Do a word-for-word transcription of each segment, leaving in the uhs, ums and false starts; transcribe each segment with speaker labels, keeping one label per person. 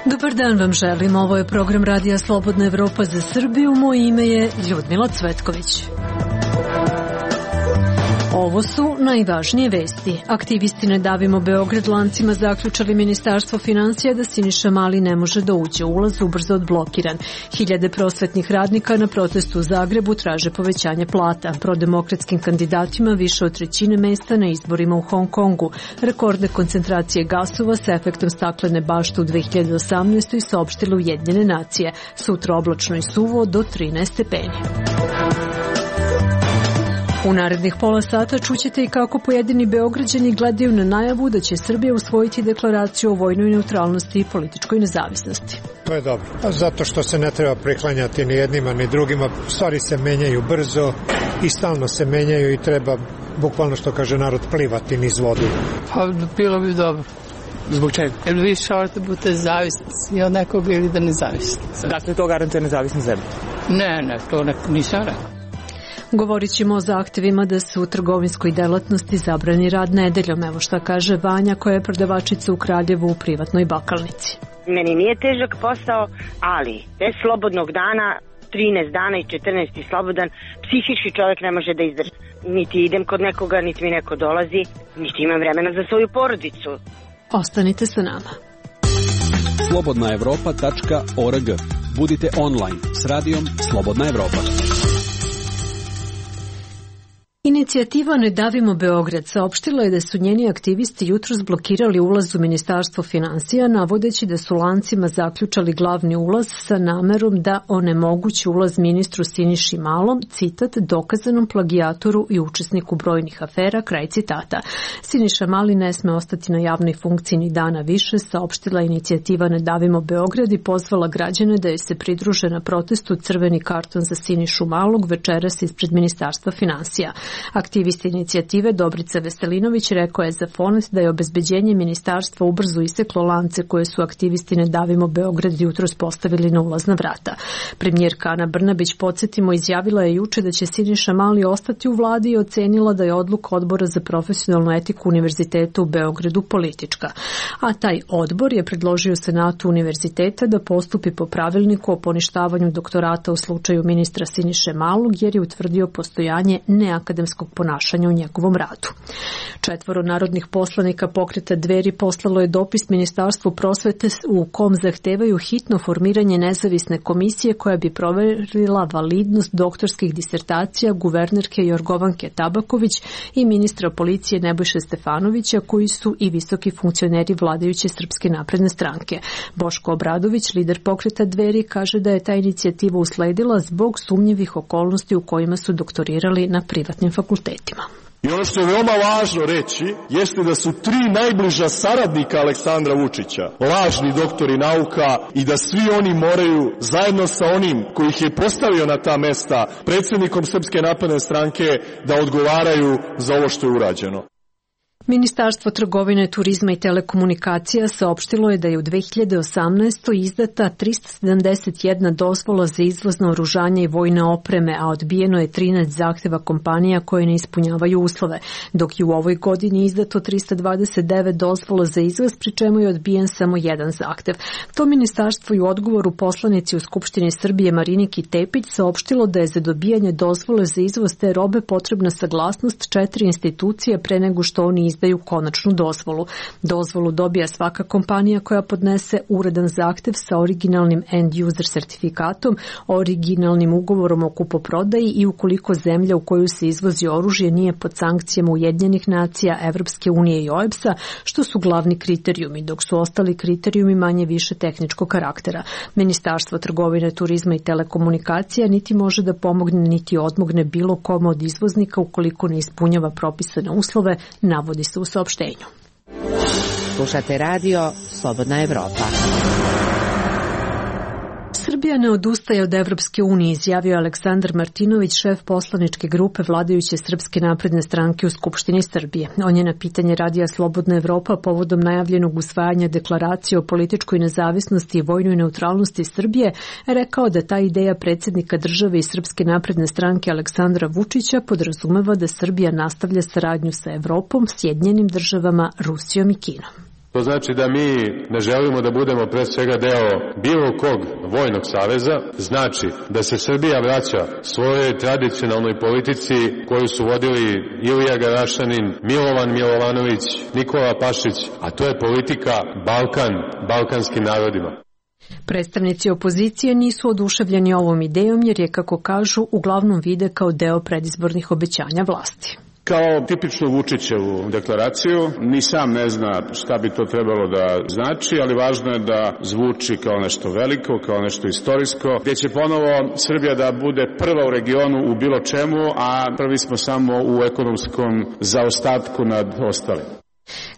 Speaker 1: Dobar dan vam želim, ovo je program Radija Slobodna Evropa za Srbiju, moje ime je Ljudmila Cvetković. Ovo su najvažnije vesti. Aktivisti Ne davimo Beograd lancima zaključali Ministarstvo finansija da Siniša Mali ne može da uđe, ulaz ubrzo odblokiran. Hiljade prosvetnih radnika na protestu u Zagrebu traže povećanje plata. Prodemokratskim kandidatima više od trećine mesta na izborima u Hong Kongu. Rekorde koncentracije gasova sa efektom staklene bašte u dve hiljade osamnaestoj saopštile Ujedinjene nacije. Sutra oblačno i suvo do trinaest stepeni. U narednih pola sata čućete i kako pojedini Beograđani gledaju na najavu da će Srbija usvojiti deklaraciju o vojnoj neutralnosti i političkoj nezavisnosti.
Speaker 2: To je dobro, zato što se ne treba priklanjati ni jednima ni drugima. Stvari se menjaju brzo i stalno se menjaju i treba, bukvalno što kaže narod, plivati niz vodu.
Speaker 3: Pa bilo bi dobro.
Speaker 4: Zbog čega?
Speaker 3: Jer vi šorate budete zavisni i od nekoga ili da nezavisni.
Speaker 4: Dakle, to garantuje nezavisna zemlja?
Speaker 3: Ne, ne, to ne, nisam rekao.
Speaker 1: Govorit ćemo o zahtevima da se u trgovinskoj delatnosti zabrani rad nedeljom. Evo šta kaže Vanja, koja je prodavačica u Kraljevu u privatnoj bakalnici.
Speaker 5: Meni nije težak posao, ali bez slobodnog dana, trinaest dana i četrnaesti slobodan, psihički čovjek ne može da izdrži. Niti idem kod nekoga, niti mi neko dolazi, niti imam vremena za svoju porodicu.
Speaker 1: Ostanite sa nama.
Speaker 6: slobodna evropa tačka org. Budite online s radijom Slobodna Evropa.
Speaker 1: Inicijativa Ne davimo Beograd saopštila je da su njeni aktivisti jutros blokirali ulaz u Ministarstvo finansija, navodeći da su lancima zaključali glavni ulaz sa namerom da onemogući ulaz ministru Siniši Malom, citat, dokazanom plagijatoru i učesniku brojnih afera, kraj citata. Siniša Mali ne sme ostati na javnoj funkciji ni dana više, saopštila inicijativa Ne davimo Beograd i pozvala građane da joj se pridruže na protestu Crveni karton za Sinišu Malog večeras ispred Ministarstva finansija. Aktivist inicijative Dobrica Veselinović rekao je za Fonet da je obezbeđenje ministarstva ubrzo iseklo lance koje su aktivisti Ne davimo Beograd jutros postavili na ulazna vrata. Premijerka Ana Brnabić, podsjetimo, izjavila je juče da će Siniša Mali ostati u vladi i ocenila da je odluka Odbora za profesionalnu etiku Univerziteta u Beogradu politička. A taj odbor je predložio Senatu univerziteta da postupi po pravilniku o poništavanju doktorata u slučaju ministra Siniše Malog, jer je utvrdio postojanje neakademskog ponašanja u njegovom radu. Četvoro narodnih poslanika Pokreta Dveri poslalo je dopis Ministarstvu prosvete u kom zahtevaju hitno formiranje nezavisne komisije koja bi proverila validnost doktorskih disertacija guvernerke Jorgovanke Tabaković i ministra policije Nebojše Stefanovića, koji su i visoki funkcioneri vladajuće Srpske napredne stranke. Boško Obradović, lider Pokreta Dveri, kaže da je ta inicijativa usledila zbog sumnjivih okolnosti u kojima su doktorirali na privatnim fakultetima.
Speaker 7: I ono što je veoma važno reći jeste da su tri najbliža saradnika Aleksandra Vučića lažni doktori nauka i da svi oni moraju zajedno sa onim koji ih je postavio na ta mesta, predsjednikom Srpske napredne stranke, da odgovaraju za ovo što je urađeno.
Speaker 1: Ministarstvo trgovine, turizma i telekomunikacija saopštilo je da je u dve hiljade osamnaestoj izdata trista sedamdeset jedna dozvola za izvoz naoružanja i vojne opreme, a odbijeno je trinaest zahteva kompanija koje ne ispunjavaju uslove, dok je u ovoj godini izdato trista dvadeset devet dozvola za izvoz, pri čemu je odbijen samo jedan zahtev. To ministarstvo i u odgovoru poslanici u Skupštini Srbije Mariniki Tepić saopštilo da je za dobijanje dozvole za izvoz te robe potrebna saglasnost četiri institucije pre nego što oni izdaju konačnu dozvolu. Dozvolu dobija svaka kompanija koja podnese uredan zahtev sa originalnim end-user sertifikatom, originalnim ugovorom o kupoprodaji i ukoliko zemlja u koju se izvozi oružje nije pod sankcijama Ujedinjenih nacija, Evropske unije i O E B S-a, što su glavni kriterijumi, dok su ostali kriterijumi manje više tehničkog karaktera. Ministarstvo trgovine, turizma i telekomunikacija niti može da pomogne niti odmogne bilo kome od izvoznika ukoliko ne ispunjava propisane uslove, navodi se u saopštenju.
Speaker 8: Slušate radio Slobodna Evropa.
Speaker 1: Srbija ne odustaje od Evropske unije, izjavio Aleksandar Martinović, šef poslaničke grupe vladajuće Srpske napredne stranke u Skupštini Srbije. On je na pitanje radija Slobodna Evropa povodom najavljenog usvajanja deklaracije o političkoj nezavisnosti i vojnoj neutralnosti Srbije rekao da ta ideja predsjednika države i Srpske napredne stranke Aleksandra Vučića podrazumeva da Srbija nastavlja saradnju sa Evropom, Sjedinjenim državama, Rusijom i Kinom.
Speaker 8: To znači da mi ne želimo da budemo pre svega deo bilo kog vojnog saveza, znači da se Srbija vraća svojoj tradicionalnoj politici koju su vodili Ilija Garašanin, Milovan Milovanović, Nikola Pašić, a to je politika Balkan, balkanskim narodima.
Speaker 1: Predstavnici opozicije nisu oduševljeni ovom idejom jer je, kako kažu, uglavnom vide kao deo predizbornih obećanja vlasti.
Speaker 9: Kao tipičnu Vučićevu deklaraciju, ni sam ne zna šta bi to trebalo da znači, ali važno je da zvuči kao nešto veliko, kao nešto istorijsko, gdje će ponovo Srbija da bude prva u regionu u bilo čemu, a prvi smo samo u ekonomskom zaostatku nad ostalim.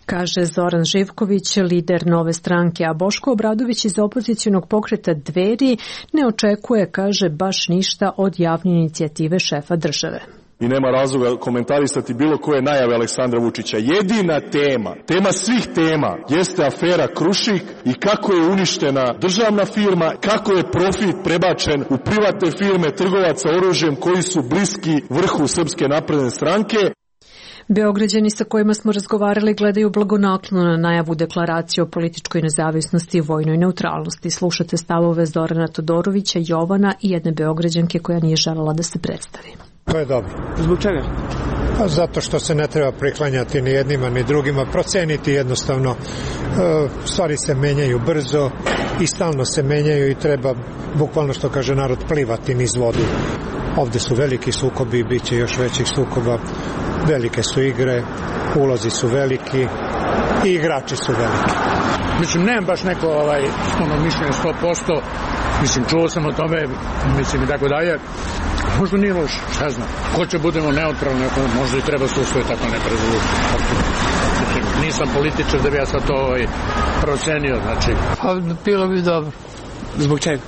Speaker 1: Kaže Zoran Živković, lider Nove stranke, a Boško Obradović iz opozicionog pokreta Dveri ne očekuje, kaže, baš ništa od javne inicijative šefa države.
Speaker 7: I nema razloga komentarisati bilo koje najave Aleksandra Vučića. Jedina tema, tema svih tema, jeste afera Krušik i kako je uništena državna firma, kako je profit prebačen u privatne firme trgovaca oružjem koji su bliski vrhu Srpske napredne stranke.
Speaker 1: Beograđani sa kojima smo razgovarali gledaju blagonaklono na najavu deklaracije o političkoj nezavisnosti i vojnoj neutralnosti. Slušate stavove Zorana Todorovića, Jovana i jedne Beograđanke koja nije želela da se predstavi.
Speaker 2: To je dobro.
Speaker 4: Zbog čega?
Speaker 2: Pa zato što se ne treba priklanjati ni jednima ni drugima, proceniti jednostavno. Stvari se menjaju brzo i stalno se menjaju i treba, bukvalno što kaže narod, plivati niz vodu. Ovde su veliki sukobi i bit će još većih sukoba. Velike su igre, ulozi su veliki i igrači su veliki.
Speaker 10: Mislim, nemam baš neko ovaj, ono mišljenje sto posto, mislim, čuo sam o tome, mislim i tako dalje. Možda nije loš, šta znam. Ko će budemo neutralni, možda i treba se usvojiti tako neka rezolucija. Mislim, nisam političar da bi ja sad to ovaj, procenio, znači.
Speaker 3: Pa bilo bi dobro.
Speaker 4: Zbog čega?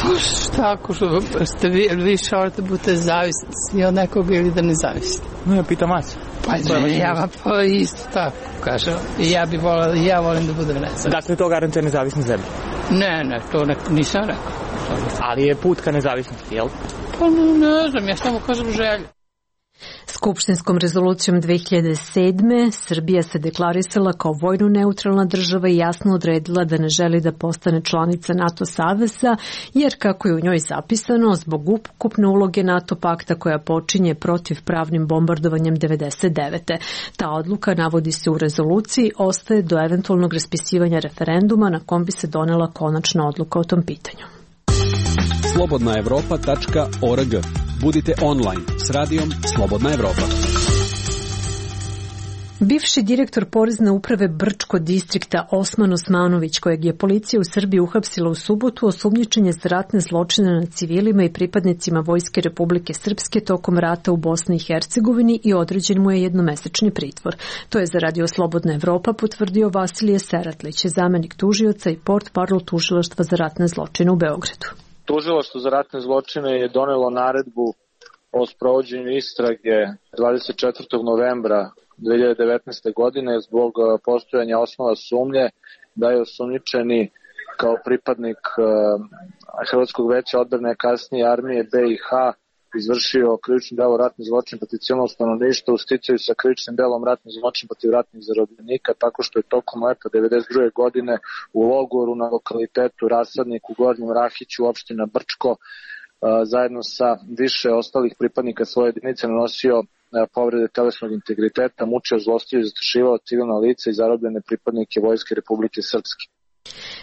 Speaker 3: Pa šta, ako što ste vi, više orate budete zavisni od nekog ili da ne zavisni.
Speaker 4: No, ja pitam vas.
Speaker 3: Pa ne, ja pa isto tako, kažem. I ja bi volila, ja volim da budem nezavisni.
Speaker 4: Dakle, to garantuje nezavisnu zemlju?
Speaker 3: Ne, ne, to ne, nisam rekao.
Speaker 4: Ali je put ka nezavisnosti, jel?
Speaker 3: Pa ne znam, ja samo kažem želju.
Speaker 1: Skupštinskom rezolucijom dve hiljade sedme Srbija se deklarisala kao vojno neutralna država i jasno odredila da ne želi da postane članica NATO saveza, jer kako je u njoj zapisano, zbog ukupne uloge NATO pakta koja počinje protivpravnim bombardovanjem devedeset devete. Ta odluka, navodi se u rezoluciji, ostaje do eventualnog raspisivanja referenduma na kom bi se donela konačna odluka o tom pitanju.
Speaker 6: slobodna evropa tačka org. Budite online s radijom Slobodna Evropa.
Speaker 1: Bivši direktor Porezne uprave Brčko distrikta Osman Osmanović, kojeg je policija u Srbiji uhapsila u subotu, osumnjičen je za ratne zločine nad civilima i pripadnicima Vojske Republike Srpske tokom rata u Bosni i Hercegovini i određen mu je jednomesečni pritvor. To je za radio Slobodna Evropa potvrdio Vasilije Seratlić, zamenik tužioca i portparol tužilaštva za ratne zločine u Beogradu.
Speaker 11: Tužilaštvo za ratne zločine je donelo naredbu o sprovođenju istrage dvadeset četvrtog novembra dve hiljade devetnaeste. godine zbog postojanja osnova sumnje da je osumnjičeni kao pripadnik Hrvatskog veća odbrane, kasnije armije B i H, izvršio krivično delo ratni zločin protiv civilnog stanovništva u sticaju sa krivičnim delom ratni zločin protiv ratnih zarobljenika, tako što je tokom leta devedeset druge. godine u logoru na lokalitetu Rasadnik u Gornjem Rahiću, opština Brčko, zajedno sa više ostalih pripadnika svoje jedinice nanosio povrede telesnog integriteta, mučio, zlostavljao i zastrašivao civilna lica i zarobljene pripadnike Vojske Republike Srpske.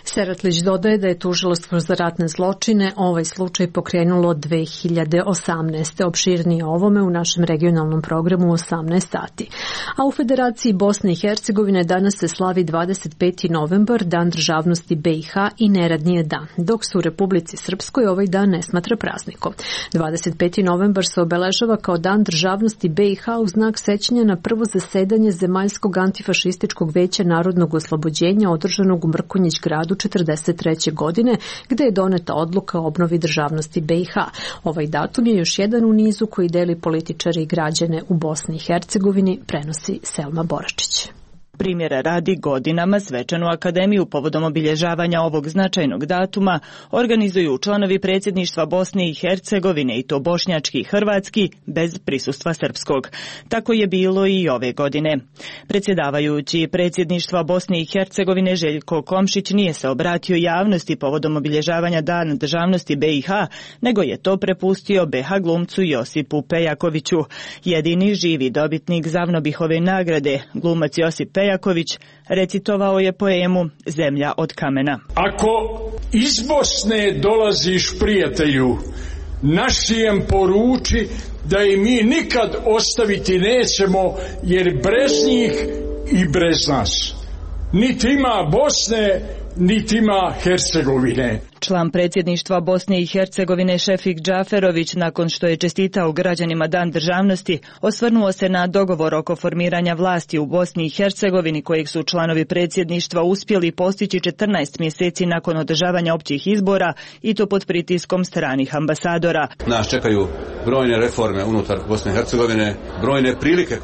Speaker 1: Seratlić dodaje da je tužilaštvo za ratne zločine ovaj slučaj pokrenulo dve hiljade osamnaeste. Opširnije o ovome u našem regionalnom programu u osamnaest sati. A u Federaciji Bosne i Hercegovine danas se slavi dvadeset peti novembar, dan državnosti B i H i neradni je dan, dok se u Republici Srpskoj ovaj dan ne smatra praznikom. dvadeset peti novembar se obeležava kao dan državnosti B i H u znak sećanja na prvo zasedanje Zemaljskog antifašističkog veća narodnog oslobođenja održanog u Mrkonjić Mrkonjić gradu četrdeset treće godine, gde je doneta odluka o obnovi državnosti B i H. Ovaj datum je još jedan u nizu koji deli političari i građane u Bosni i Hercegovini, prenosi Selma Boračić.
Speaker 12: Primjera radi, godinama svečanu akademiju povodom obilježavanja ovog značajnog datuma organizuju članovi predsjedništva Bosne i Hercegovine, i to bošnjački i hrvatski, bez prisustva srpskog. Tako je bilo i ove godine. Predsjedavajući predsjedništva Bosne i Hercegovine Željko Komšić nije se obratio javnosti povodom obilježavanja Dana državnosti B i H, nego je to prepustio B H glumcu Josipu Pejakoviću. Jedini živi dobitnik Zavnobihove nagrade, glumac Josip Pejaković, Jaković recitovao je poemu Zemlja od kamena.
Speaker 13: Ako iz Bosne dolaziš, prijatelju, našijem poruči da i mi nikad ostaviti nećemo, jer brez njih i brez nas niti ima Bosne, niti ima Hercegovine.
Speaker 12: Član predsjedništva Bosne i Hercegovine Šefik Džaferović, nakon što je čestitao građanima Dan državnosti, osvrnuo se na dogovor oko formiranja vlasti u Bosni i Hercegovini, kojeg su članovi predsjedništva uspjeli postići četrnaest mjeseci nakon održavanja općih izbora, i to pod pritiskom stranih ambasadora.
Speaker 14: Nas čekaju brojne reforme unutar Bosne i Hercegovine, brojne prilike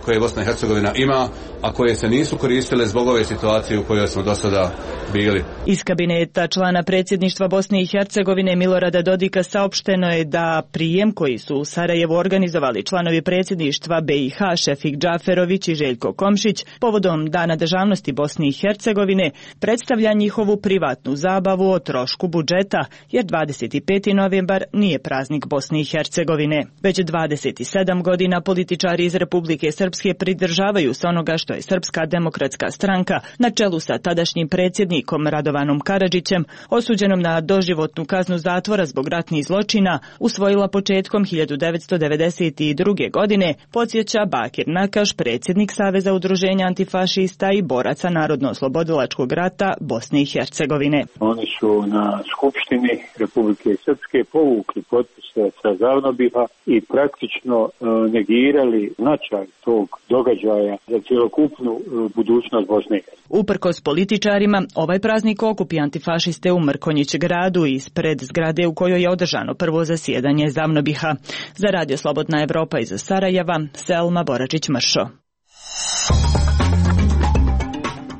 Speaker 14: koje Bosna i Hercegovina ima, a koje se nisu koristile zbog ove situacije u kojoj smo do sada bili.
Speaker 12: Iz kabineta člana predsjedništva Bosne i Hercegovine Milorada Dodika saopšteno je da prijem koji su u Sarajevu organizovali članovi predsjedništva B i H Šefik Džaferović i Željko Komšić povodom Dana državnosti Bosne i Hercegovine predstavlja njihovu privatnu zabavu o trošku budžeta, jer dvadeset peti novembar nije praznik Bosne i Hercegovine. Već dvadeset sedam godina političari iz Republike Srpske pridržavaju se onoga što je Srpska demokratska stranka na čelu sa tadašnjim predsjednikom Radovanom Karadžićem, osuđenom na doživotnu kaznu zatvora zbog ratnih zločina, usvojila početkom hiljadu devetsto devedeset druge. godine, podsjeća Bakir Nakaš, predsjednik Saveza udruženja antifašista i boraca Narodno-oslobodilačkog rata Bosne i Hercegovine.
Speaker 15: Oni su na Skupštini Republike Srpske povukli potpise sa Zavnobiha i praktično negirali značaj tog događaja za cjelokupnu budućnost Bosne i Hercegovine.
Speaker 12: Uprkos političarima, ovaj praznik okupi antifašiste u Mrkonjić gradu ispred zgrade u kojoj je održano prvo zasjedanje Zavnobiha. Za Radio Slobodna Evropa iz Sarajeva, Selma Boračić-Mršo.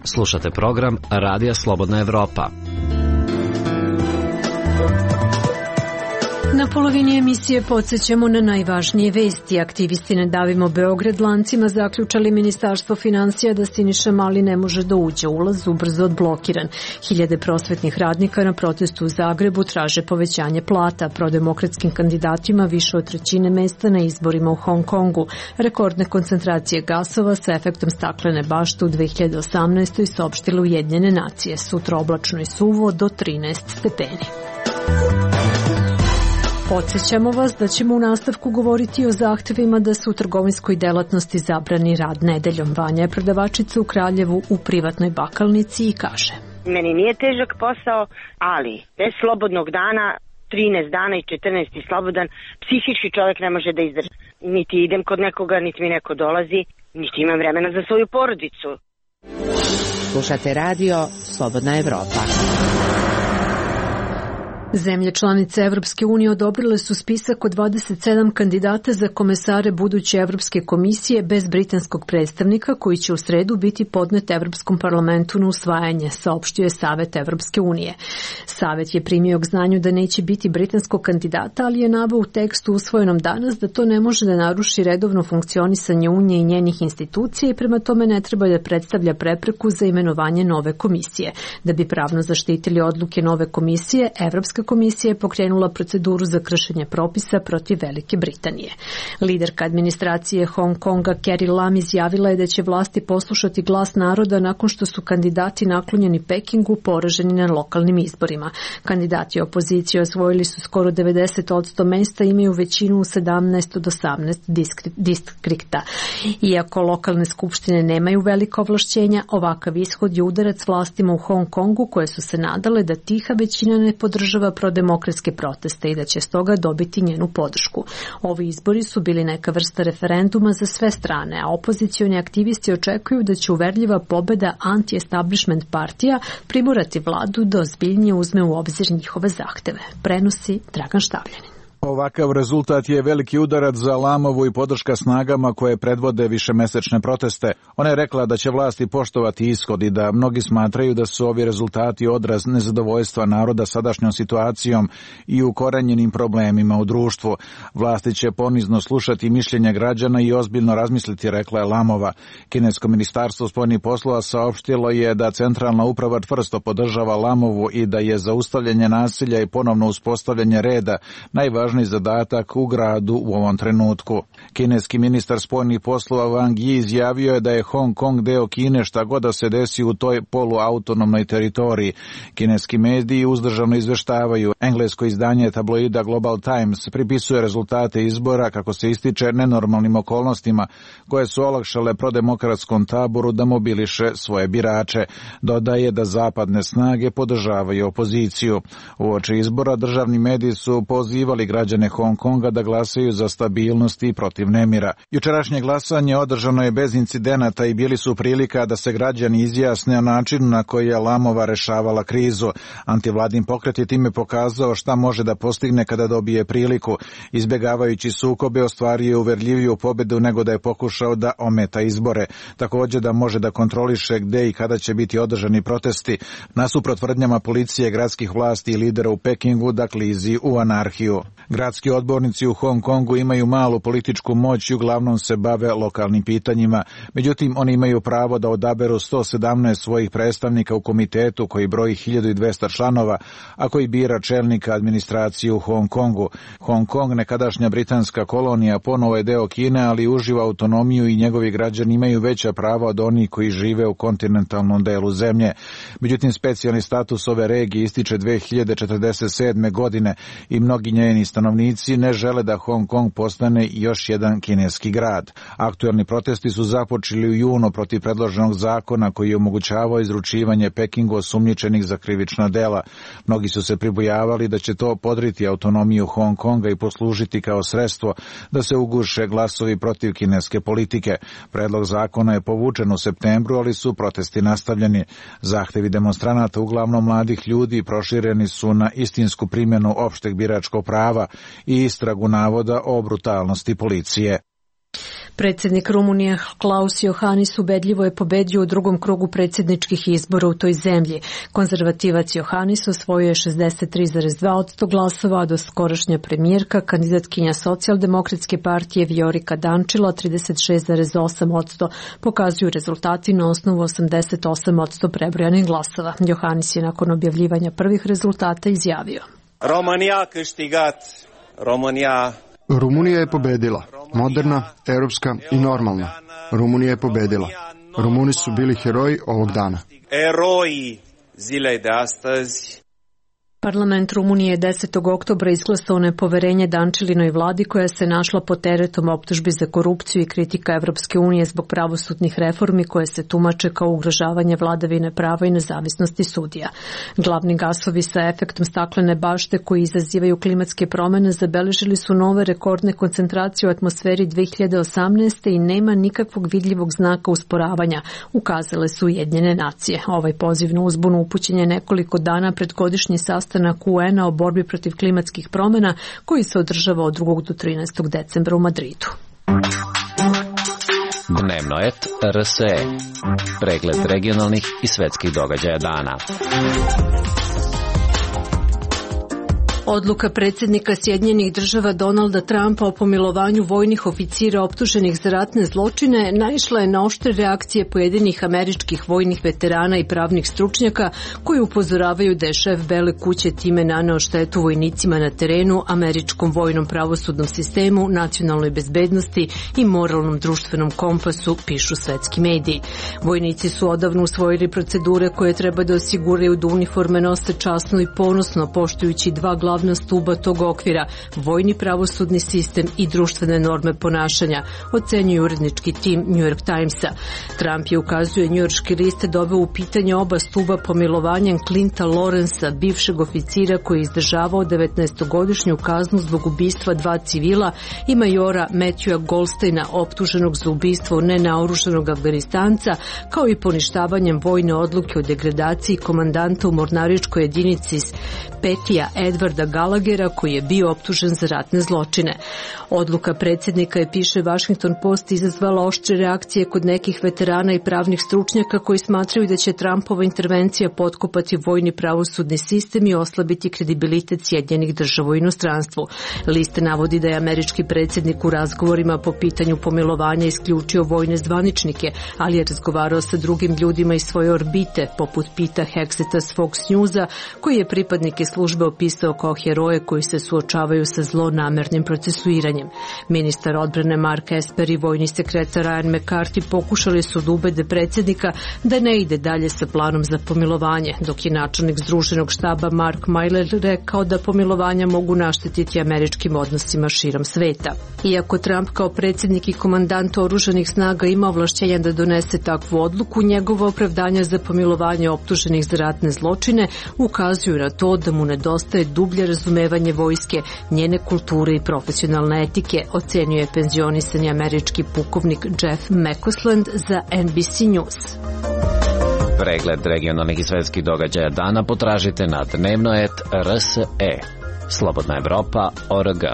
Speaker 16: Slušate program Radija Slobodna Evropa.
Speaker 1: Na polovini emisije podsjećamo na najvažnije vesti. Aktivisti Ne davimo Beograd lancima zaključali Ministarstvo finansija da Siniša Mali ne može da uđe. Ulaz ubrzo odblokiran. Hiljade prosvetnih radnika na protestu u Zagrebu traže povećanje plata. Prodemokratskim kandidatima više od trećine mesta na izborima u Hong Kongu. Rekordne koncentracije gasova sa efektom staklene bašte u dve hiljade osamnaestoj saopštile Ujedinjene nacije. Sutra oblačno i suvo do trinaest stepeni. Podsjećamo vas da ćemo u nastavku govoriti o zahtevima da se u trgovinskoj delatnosti zabrani rad nedeljom. Vanja je prodavačica u Kraljevu u privatnoj bakalnici i kaže:
Speaker 5: Meni nije težak posao, ali bez slobodnog dana, trinaest dana i četrnaest slobodan, psihički čovjek ne može da izdrži. Niti idem kod nekoga, niti mi neko dolazi, niti imam vremena za svoju porodicu.
Speaker 17: Slušate radio Slobodna Evropa.
Speaker 1: Zemlje članice Evropske unije odobrile su spisak od dvadeset sedam kandidata za komesare buduće Evropske komisije bez britanskog predstavnika, koji će u sredu biti podnet Evropskom parlamentu na usvajanje, saopštio je Savet Evropske unije. Savet je primio k znanju da neće biti britanskog kandidata, ali je naveo u tekstu usvojenom danas da to ne može da naruši redovno funkcionisanje Unije i njenih institucija i prema tome ne treba da predstavlja prepreku za imenovanje nove komisije. Da bi pravno zaštitili odluke nove komisije, Evropska komisija je pokrenula proceduru za kršenje propisa protiv Velike Britanije. Liderka administracije Hong Konga Carrie Lam izjavila je da će vlasti poslušati glas naroda nakon što su kandidati naklonjeni Pekingu poraženi na lokalnim izborima. Kandidati opozicije osvojili su skoro devedeset posto mesta i imaju većinu u sedamnaest od osamnaest distrikta. Iako lokalne skupštine nemaju velika ovlašćenja, ovakav ishod je udarac vlastima u Hong Kongu koje su se nadale da tiha većina ne podržava podržava prodemokratske proteste i da će stoga dobiti njenu podršku. Ovi izbori su bili neka vrsta referenduma za sve strane, a opozicioni aktivisti očekuju da će uverljiva pobeda anti-establishment partija primorati vladu da ozbiljnije uzme u obzir njihove zahteve. Prenosi Dragan Štavljanin.
Speaker 18: Ovakav rezultat je veliki udarac za Lamovu i podrška snagama koje predvode višemesečne proteste. Ona je rekla da će vlasti poštovati ishod i da mnogi smatraju da su ovi rezultati odraz nezadovoljstva naroda sadašnjom situacijom i ukorenjenim problemima u društvu. Vlasti će ponizno slušati mišljenja građana i ozbiljno razmisliti, rekla je Lamova. Kinesko ministarstvo spoljnih poslova saopštilo je da centralna uprava čvrsto podržava Lamovu i da je zaustavljanje nasilja i ponovno uspostavljanje reda najvažniji zadatak u gradu u ovom trenutku. Kineski ministar spoljnih poslova Wang Yi izjavio je da je Hong Kong deo Kine šta god da se desi u toj poluautonomnoj teritoriji. Kineski mediji uzdržano izveštavaju. Englesko izdanje tabloida Global Times pripisuje rezultate izbora, kako se ističe, nenormalnim okolnostima koje su olakšale prodemokratskom taboru da mobiliše svoje birače. Dodaje da zapadne snage podržavaju opoziciju. Uoči izbora državni mediji su pozivali građane Hong Konga da glasaju za stabilnost i protiv nemira. Jučerašnje glasanje održano je bez incidenata i bili su prilika da se građani izjasne o načinu na koji je Lamova rešavala krizu. Antivladin pokret je time pokazao šta može da postigne kada dobije priliku. Izbjegavajući sukobe, ostvario je uverljiviju pobedu nego da je pokušao da ometa izbore. Također da može da kontroliše gde i kada će biti održani protesti, nasuprot tvrdnjama policije, gradskih vlasti i lidera u Pekingu da klizi u anarhiju. Gradski odbornici u Hong Kongu imaju malu političku moć i uglavnom se bave lokalnim pitanjima. Međutim, oni imaju pravo da odaberu sto sedamnaest svojih predstavnika u komitetu koji broji hiljadu dvesta članova, a koji bira čelnika administracije u Hong Kongu. Hong Kong, nekadašnja britanska kolonija, ponovo je deo Kine, ali uživa autonomiju i njegovi građani imaju veća prava od onih koji žive u kontinentalnom delu zemlje. Međutim, specijalni status ove regije ističe dve hiljade četrdeset sedme. godine i mnogi njeni stanovnici ne žele da Hong Kong postane još jedan kineski grad. Aktuelni protesti su započeli u junu protiv predloženog zakona koji je omogućavao izručivanje Pekingu osumnjičenih za krivična dela. Mnogi su se pribojavali da će to podriti autonomiju Hong Konga i poslužiti kao sredstvo da se uguše glasovi protiv kineske politike. Predlog zakona je povučen u septembru, ali su protesti nastavljeni. Zahtevi demonstranata, uglavnom mladih ljudi, prošireni su na istinsku primjenu opšteg biračkog prava i istragu navoda o brutalnosti policije.
Speaker 1: Predsjednik Rumunije Klaus Iohannis ubedljivo je pobedio u drugom krugu predsjedničkih izbora u toj zemlji. Konzervativac Iohannis osvojio je šezdeset tri zarez dva posto glasova, a doskorašnja premijerka, kandidatkinja socijaldemokratske partije Viorica Dančila, trideset šest zarez osam posto, pokazuju rezultati na osnovu osamdeset osam posto prebrojanih glasova. Iohannis je nakon objavljivanja prvih rezultata izjavio:
Speaker 19: România câștigat, România...
Speaker 20: Rumunija je pobedila, moderna, europska i normalna. Rumunija je pobedila. Rumuni su bili heroji ovog dana.
Speaker 19: Eroi zilei de astăzi.
Speaker 1: Parlament Rumunije desetog oktobra izglasao nepoverenje Dančilinoj vladi koja se našla pod teretom optužbi za korupciju i kritika Evropske unije zbog pravosudnih reformi koje se tumače kao ugrožavanje vladavine prava i nezavisnosti sudija. Glavni gasovi sa efektom staklene bašte koji izazivaju klimatske promjene zabeležili su nove rekordne koncentracije u atmosferi dve hiljade osamnaeste. i nema nikakvog vidljivog znaka usporavanja, ukazale su Ujedinjene nacije. Ovaj poziv na uzbunu upućen je nekoliko dana pred godišnji sastanak U N-a o borbi protiv klimatskih promjena koji se održava od drugog do trinaestog decembra u Madridu.
Speaker 16: Dnevno et R S E. Pregled regionalnih i svetskih događaja dana.
Speaker 1: Odluka predsjednika Sjedinjenih država Donalda Trumpa o pomilovanju vojnih oficira optuženih za ratne zločine naišla je na oštre reakcije pojedinih američkih vojnih veterana i pravnih stručnjaka koji upozoravaju da je šef Bele kuće time naneo štetu vojnicima na terenu, američkom vojnom pravosudnom sistemu, nacionalnoj bezbednosti i moralnom društvenom kompasu, pišu svetski mediji. Vojnici su odavno usvojili procedure koje treba da osiguraju da uniforme nose časno i ponosno, poštujući dva glavna glavna stuba tog okvira, vojni pravosudni sistem i društvene norme ponašanja, ocenjuje urednički tim New York Timesa. Trump je, ukazuje njujorški list, doveo u pitanje oba stuba pomilovanjem Clinta Lawrencea, bivšeg oficira koji je izdržavao devetnaestogodišnju kaznu zbog ubistva dva civila, i majora Matthewa Goldsteina, optuženog za ubistvo nenaoružanog Afganistanca, kao i poništavanjem vojne odluke o degradaciji komandanta u mornaričkoj jedinici Petija Edwarda Gallaghera, koji je bio optužen za ratne zločine. Odluka predsjednika je, piše Washington Post, izazvala oštre reakcije kod nekih veterana i pravnih stručnjaka koji smatraju da će Trumpova intervencija potkopati vojni pravosudni sistem i oslabiti kredibilitet Sjedinjenih Država u inostranstvu. List navodi da je američki predsjednik u razgovorima po pitanju pomilovanja isključio vojne zvaničnike, ali je razgovarao sa drugim ljudima iz svoje orbite, poput Pita Hexeta s Fox Newsa, koji je pripadnike službe opisao kao heroje koji se suočavaju sa zlonamernim procesuiranjem. Ministar odbrane Mark Esper i vojni sekretar Ryan McCarthy pokušali su da ubede predsjednika da ne ide dalje sa planom za pomilovanje, dok je načelnik Združenog štaba Mark Milley rekao da pomilovanja mogu naštetiti američkim odnosima širom sveta. Iako Trump kao predsjednik i komandant oružanih snaga ima ovlašćenja da donese takvu odluku, njegova opravdanja za pomilovanje optuženih za ratne zločine ukazuju na to da mu nedostaje dublje razumevanje vojske, njene kulture i profesionalne etike, ocenjuje penzionisani američki pukovnik Jeff McCausland za N B C News.
Speaker 16: Pregled regionalnih i svetskih događaja dana potražite na dnevno et R S E. Slobodna Evropa точка org.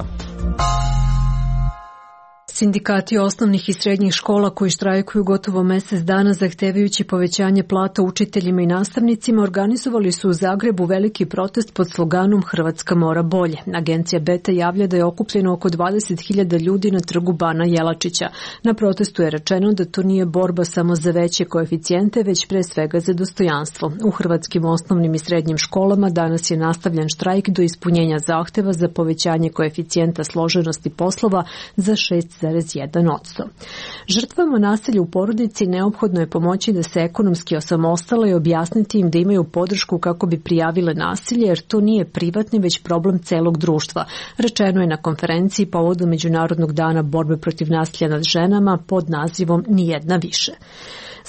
Speaker 1: Sindikati osnovnih i srednjih škola koji štrajkuju gotovo mesec dana zahtevajući povećanje plata učiteljima i nastavnicima organizovali su u Zagrebu veliki protest pod sloganom Hrvatska mora bolje. Agencija Beta javlja da je okupljeno oko dvadeset hiljada ljudi na trgu Bana Jelačića. Na protestu je rečeno da to nije borba samo za veće koeficijente, već pre svega za dostojanstvo. U hrvatskim osnovnim i srednjim školama danas je nastavljen štrajk do ispunjenja zahteva za povećanje koeficijenta složenosti poslova za šest zarez jedan posto. Žrtvama nasilja u porodici neophodno je pomoći da se ekonomski osamostale i objasniti im da imaju podršku kako bi prijavile nasilje, jer to nije privatni već problem celog društva, rečeno je na konferenciji povodom Međunarodnog dana borbe protiv nasilja nad ženama pod nazivom Nijedna više.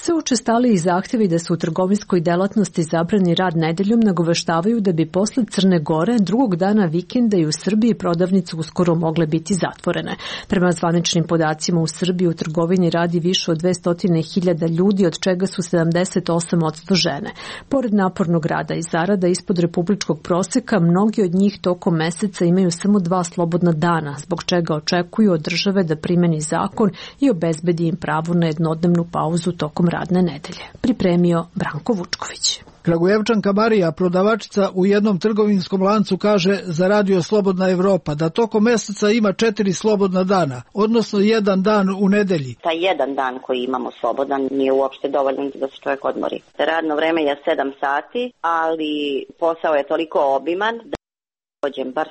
Speaker 1: Sve učestaliji zahtjevi da se u trgovinskoj delatnosti zabrani rad nedeljom nagoveštavaju da bi posle Crne Gore drugog dana vikenda i u Srbiji prodavnice uskoro mogle biti zatvorene. Prema zvaničnim podacima u Srbiji u trgovini radi više od dvesta hiljada ljudi, od čega su sedamdeset osam posto žene. Pored napornog rada i zarada ispod republičkog proseka, mnogi od njih tokom meseca imaju samo dva slobodna dana, zbog čega očekuju od države da primeni zakon i obezbedi im pravo na jednodnevnu pauzu tokom radne nedelje. Pripremio Branko Vučković.
Speaker 21: Kragujevčanka Marija, prodavačica u jednom trgovinskom lancu, kaže za Radio Slobodna Evropa da tokom meseca ima četiri slobodna dana, odnosno jedan dan u nedelji.
Speaker 22: Taj jedan dan koji imamo slobodan nije uopšte dovoljan da se čovjek odmori. Radno vreme je sedam sati, ali posao je toliko obiman da dođem bar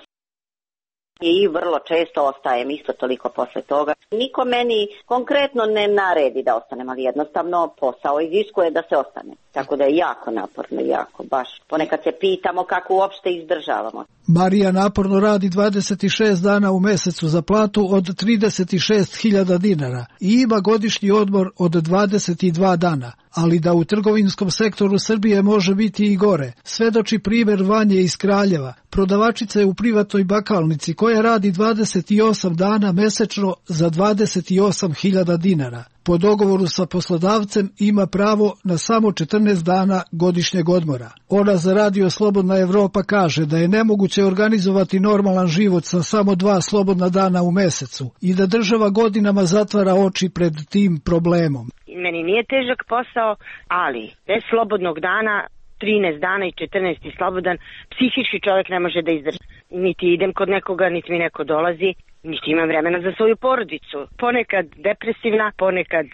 Speaker 22: i vrlo često ostajem isto toliko posle toga. Niko meni konkretno ne naredi da ostanem, ali jednostavno posao iziskuje da se ostane. Tako da je jako naporno, jako baš. Ponekad se pitamo kako uopšte izdržavamo.
Speaker 21: Marija naporno radi dvadeset šest dana u mesecu za platu od trideset šest hiljada dinara i ima godišnji odmor od dvadeset dva dana. Ali da u trgovinskom sektoru Srbije može biti i gore, svedoči primjer Vanje iz Kraljeva, prodavačice u privatnoj bakalnici koja radi dvadeset osam dana mesečno za dvadeset osam hiljada dinara. Po dogovoru sa poslodavcem ima pravo na samo četrnaest dana godišnjeg odmora. Ona za Radio Slobodna Evropa kaže da je nemoguće organizovati normalan život sa samo dva slobodna dana u mesecu i da država godinama zatvara oči pred tim problemom.
Speaker 5: Meni nije težak posao, ali bez slobodnog dana, trinaest dana i četrnaest slobodan, psihički čovjek ne može da izdrži. Niti idem kod nekoga, niti mi neko dolazi, niti imam vremena za svoju porodicu. Ponekad depresivna, ponekad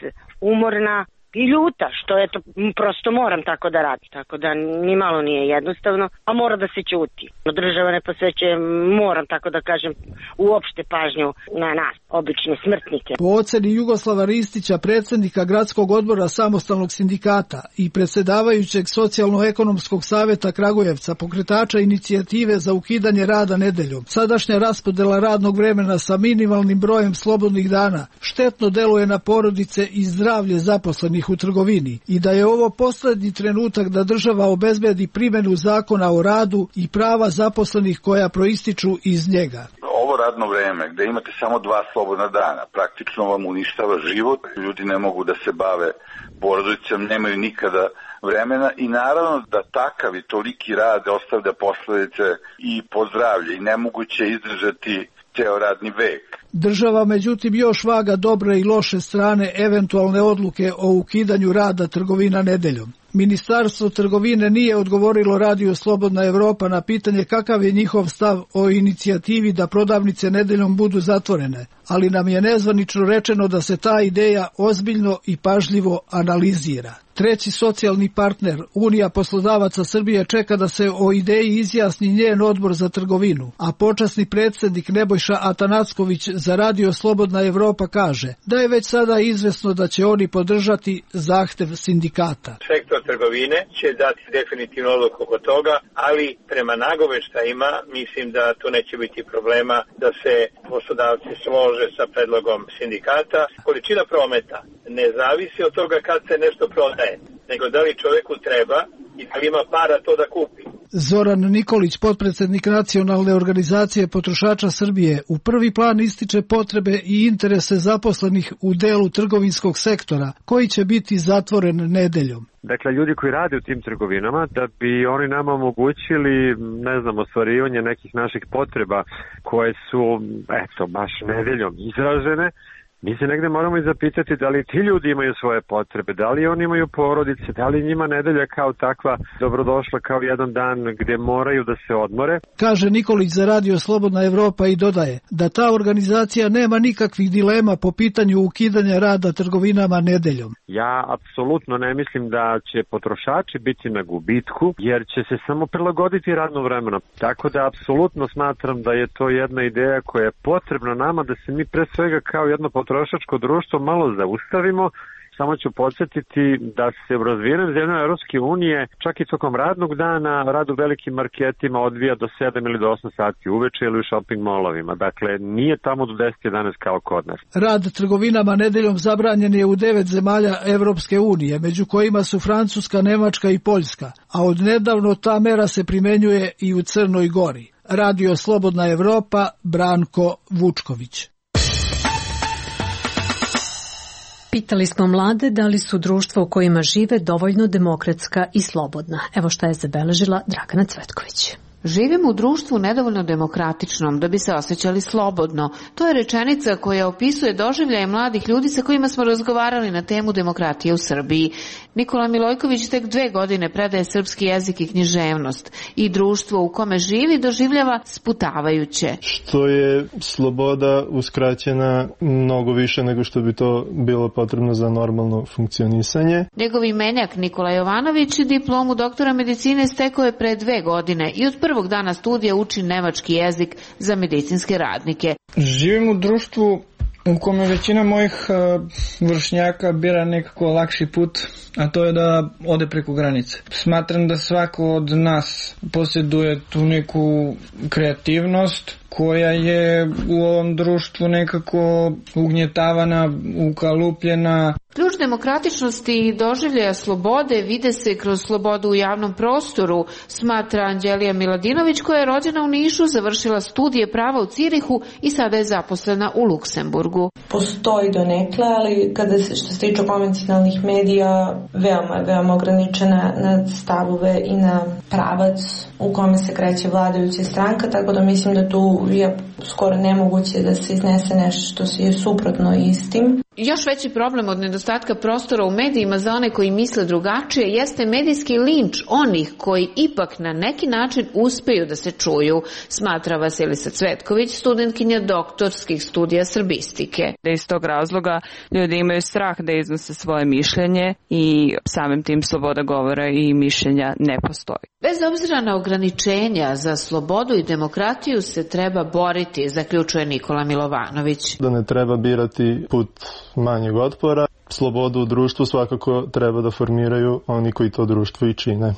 Speaker 5: umorna, i ljuta, što eto, prosto moram tako da radim, tako da ni malo nije jednostavno, a mora da se ćuti. Država ne posvećuje, moram tako da kažem, uopšte pažnju na nas, obične smrtnike.
Speaker 21: Po oceni Jugoslava Ristića, predsjednika Gradskog odbora Samostalnog sindikata i predsjedavajućeg Socijalno-ekonomskog saveta Kragujevca, pokretača inicijative za ukidanje rada nedeljom, sadašnja raspodela radnog vremena sa minimalnim brojem slobodnih dana štetno deluje na porodice i zdravlje zaposlenih u trgovini i da je ovo poslednji trenutak da država obezbedi primjenu zakona o radu i prava zaposlenih koja proističu iz njega.
Speaker 8: Ovo radno vreme gde imate samo dva slobodna dana praktično vam uništava život, ljudi ne mogu da se bave porodicom, nemaju nikada vremena i naravno da takav i toliki rad ostavlja posledice i po zdravlje i nemoguće izdržati ceo radni vek.
Speaker 21: Država međutim još vaga dobre i loše strane eventualne odluke o ukidanju rada trgovina nedeljom. Ministarstvo trgovine nije odgovorilo Radio Slobodna Evropa na pitanje kakav je njihov stav o inicijativi da prodavnice nedeljom budu zatvorene, ali nam je nezvanično rečeno da se ta ideja ozbiljno i pažljivo analizira. Treći socijalni partner, Unija poslodavaca Srbije, čeka da se o ideji izjasni njen odbor za trgovinu, a počasni predsjednik Nebojša Atanacković za Radio Slobodna Evropa kaže da je već sada izvesno da će oni podržati zahtev sindikata.
Speaker 9: Sektor trgovine će dati definitivno odluku oko toga, ali prema nagoveštajima mislim da tu neće biti problema da se poslodavci slože sa predlogom sindikata. Količina prometa ne zavisi od toga kad se nešto prodaje, nego da li čovjeku treba i da li ima para to da kupi.
Speaker 21: Zoran Nikolić, potpredsjednik Nacionalne organizacije potrošača Srbije, u prvi plan ističe potrebe i interese zaposlenih u delu trgovinskog sektora, koji će biti zatvoren nedeljom.
Speaker 23: Dakle, ljudi koji rade u tim trgovinama, da bi oni nama omogućili, ne znam, ostvarivanje nekih naših potreba koje su, eto, baš nedeljom izražene, mi se negde moramo i zapitati da li ti ljudi imaju svoje potrebe, da li oni imaju porodice, da li njima nedelja kao takva dobrodošla kao jedan dan gdje moraju da se odmore.
Speaker 21: Kaže Nikolić za Radio Slobodna Evropa i dodaje da ta organizacija nema nikakvih dilema po pitanju ukidanja rada trgovinama nedeljom.
Speaker 23: Ja apsolutno ne mislim da će potrošači biti na gubitku, jer će se samo prilagoditi radno vremeno. Tako da apsolutno smatram da je to jedna ideja koja je potrebna nama da se mi pre svega kao jedno potrošačko društvo malo zaustavimo. Samo ću podsjetiti da se u razvijenim zemljama Europske unije čak i tokom radnog dana rad u velikim marketima odvija do sedam ili do osam sati uveče ili u shopping molovima. Dakle, nije tamo do deset jedanaest kao kod nas.
Speaker 21: Rad trgovinama nedeljom zabranjen je u devet zemalja Europske unije, među kojima su Francuska, Nemačka i Poljska, a od nedavno ta mera se primenjuje i u Crnoj Gori. Radio Slobodna Evropa, Branko Vučković.
Speaker 1: Pitali smo mlade da li su društva u kojima žive dovoljno demokratska i slobodna. Evo šta je zabeležila Dragana Cvetković.
Speaker 24: Živimo u društvu nedovoljno demokratičnom da bi se osjećali slobodno. To je rečenica koja opisuje doživljaje mladih ljudi sa kojima smo razgovarali na temu demokratije u Srbiji. Nikola Milojković tek dve godine predaje srpski jezik i književnost i društvo u kome živi doživljava sputavajuće.
Speaker 25: Što je sloboda uskraćena mnogo više nego što bi to bilo potrebno za normalno funkcionisanje.
Speaker 24: Njegov imenjak Nikola Jovanović diplomu doktora medicine stekao je pre dve godine i od prvog dana studija uči nemački jezik za medicinske radnike.
Speaker 26: Živim u društvu u kome većina mojih vršnjaka bira nekako lakši put, a to je da ode preko granice. Smatram da svako od nas posjeduje tu neku kreativnost koja je u ovom društvu nekako ugnjetavana, ukalupljena.
Speaker 24: Ključ demokratičnosti i doživljaja slobode vide se kroz slobodu u javnom prostoru, smatra Anđelija Miladinović, koja je rođena u Nišu, završila studije prava u Cirihu i sada je zaposlena u Luksemburgu.
Speaker 27: Postoji donekle, ali kada se što se tiče konvencionalnih medija, veoma, veoma ograničena na stavove i na pravac u kome se kreće vladajuća stranka, tako da mislim da tu je skoro nemoguće da se iznese nešto što je suprotno istim.
Speaker 24: Još veći problem od nedostatka prostora u medijima za one koji misle drugačije jeste medijski linč onih koji ipak na neki način uspeju da se čuju, smatra Vasilisa Cvetković, studentkinja doktorskih studija srbistike.
Speaker 2: Da iz tog razloga ljudi imaju strah da iznose svoje mišljenje i samim tim sloboda govora i mišljenja ne postoji.
Speaker 24: Bez obzira na ograničenja za slobodu i demokratiju se treba boriti, zaključuje Nikola Milovanović.
Speaker 25: Da ne treba birati put manjeg otpora. Slobodu u društvu svakako treba da formiraju oni koji to društvo i čine.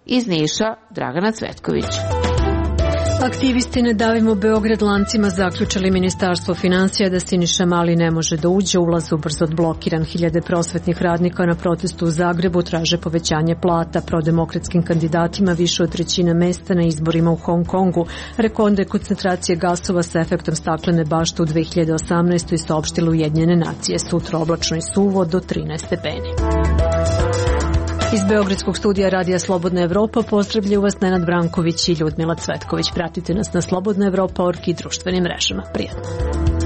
Speaker 24: Iz Niša, Dragana Cvetković.
Speaker 1: Aktivisti Ne davimo Beograd lancima zaključali Ministarstvo finansija da Siniša Mali ne može da uđe, ulaz ubrzo odblokiran. Hiljade prosvetnih radnika na protestu u Zagrebu traže povećanje plata. Prodemokratskim kandidatima više od trećine mesta na izborima u Hong Kongu. Rekorde koncentracije gasova sa efektom staklene bašte u dve hiljade osamnaestoj saopštile Ujedinjene nacije. Sutra oblačno i suvo do trinaest stepeni. Iz Beogradskog studija Radija Slobodna Evropa pozdravljaju vas Nenad Branković i Ljudmila Cvetković. Pratite nas na slobodna evropa точка org i društvenim mrežama. Prijatno.